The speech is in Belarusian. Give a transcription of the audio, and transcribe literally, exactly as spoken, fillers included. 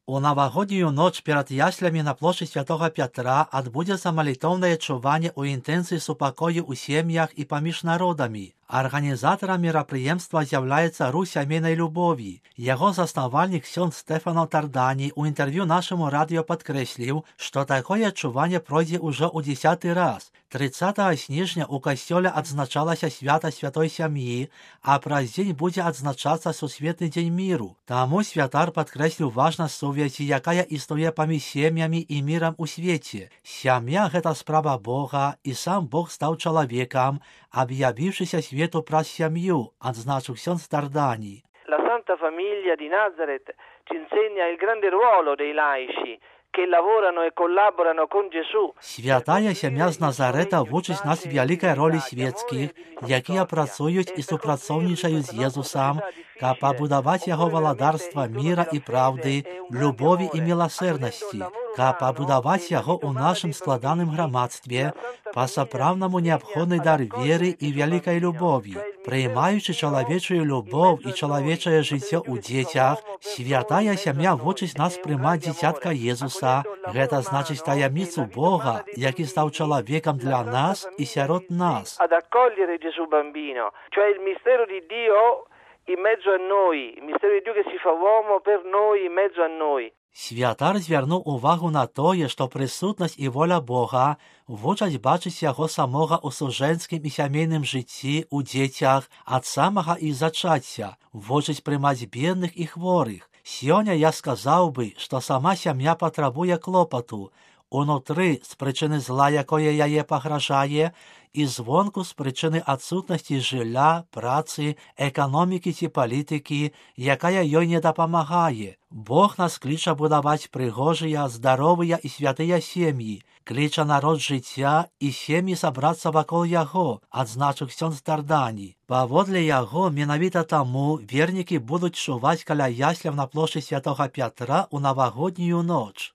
У навагоднюю ноч перад яслямі на плошчы святога Пятра адбудзецца малітоўнае чуванне ў інтэнцыі супакою ў сем'ях і паміж народамі. Арганізатарам мерапрыемства з'яўляецца рух сямейнай любові. Яго заснавальнік ксёндз Стэфано Тардані ў інтэрв'ю нашаму радыё падкрэсліў, што такое чуванне пройдзе ўжо ў дзесяты раз. трыццатага снежня ў касцёле адзначалася свята святой сям'і, а праз дзень будзе адзначацца сусветны дзень міру. Таму святар падкрэсліў важнасць сувязі, якая існуе паміж сем'ямі і мірам у свеце. Сям'я — гэта справа Бога, і сам Бог стаў чалавекам, abbiavivшися svijetu pras sям'ю, адзначыў ксёндз Тардані. La Santa Famiglia di Nazareth ci insegna il grande ruolo dei laici che lavorano e collaborano con Gesù. Святая сям'я з Назарэта вучыць нас вялікай ролі свецкіх, якія працуюць і супрацоўнічаюць з Езусам, каб пабудаваць яго валадарства міра і праўды, любові і міласэрнасці, каб пабудаваць яго ў нашым складаным грамадстве, па-сапраўднаму неабходны дар веры і вялікай любові. Прыймаючы чалавечую любоў і чалавечае жыццё ў дзецях, святая сям'я вучыць нас прымаць дзіцятка Езуса, гэта значыць таямніцу Бога, які стаў чалавекам для нас і сярод нас. Ad accogliere Gesù bambino, cioè il mistero di Dio in mezzo a noi, il mistero di Dio che si fa uomo per noi, in mezzo a noi. Святар звярнуў увагу на тое, што прысутнасць і воля Бога вучаць бачыць яго самога ў сужэнскім і сямейным жыцці, у дзецях, ад самага іх зачацця, вучаць прымаць бедных і хворых. Сёння я сказаў бы, што сама сям'я патрабуе клопату, унутры з прычыны зла, якое яе пагражае, і звонку з прычыны адсутнасці жылля, працы, эканомікі ці палітыкі, якая ёй не дапамагае. Бог нас кліча будаваць прыгожыя, здаровыя і святыя сем'і, кліча народ жыцця і сем'і сабрацца вакол яго, адзначыў ксёндз Тардані. Паводле яго, менавіта таму вернікі будуць чуваць каля ясляў на плошчы святога Пятра ў навагоднюю ноч.